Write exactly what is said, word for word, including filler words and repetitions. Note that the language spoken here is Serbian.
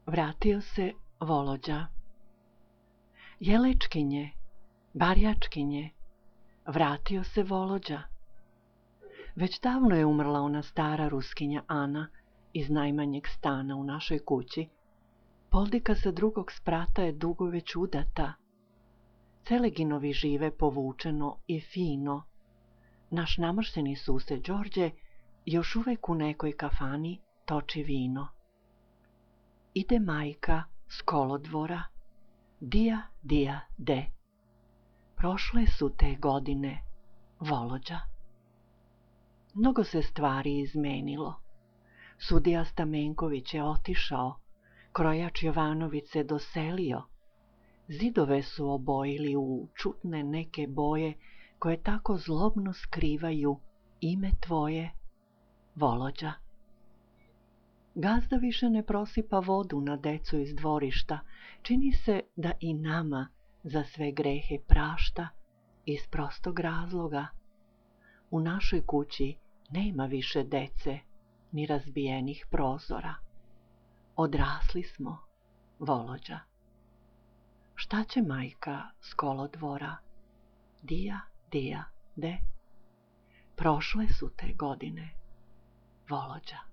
Vratio se Volođa. Jelečkinje, barjačkinje, vratio se Volođa. Već davno je umrla ona stara Ruskinja Ana iz najmanjeg stana u našoj kući. Poldika sa drugog sprata je dugo već udata. Celeginovi žive povučeno i fino. Naš namršteni sused Đorđe još uvek u nekoj kafani toči vino. Ide majka s kolodvora, dija, dija, de. Prošle su te godine, Volođa. Mnogo se stvari izmenilo. Sudija Stamenković je otišao, krojač Jovanović se doselio. Zidove su obojili u čudne neke boje koje tako zlobno skrivaju ime tvoje, Volođa. Gazda više ne prosipa vodu na decu iz dvorišta, čini se da i nama za sve grehe prašta iz prostog razloga. U našoj kući nema više dece, ni razbijenih prozora. Odrasli smo, Volođa. Šta će majka s kolodvora? Dija, dija, de. Prošle su te godine, Volođa.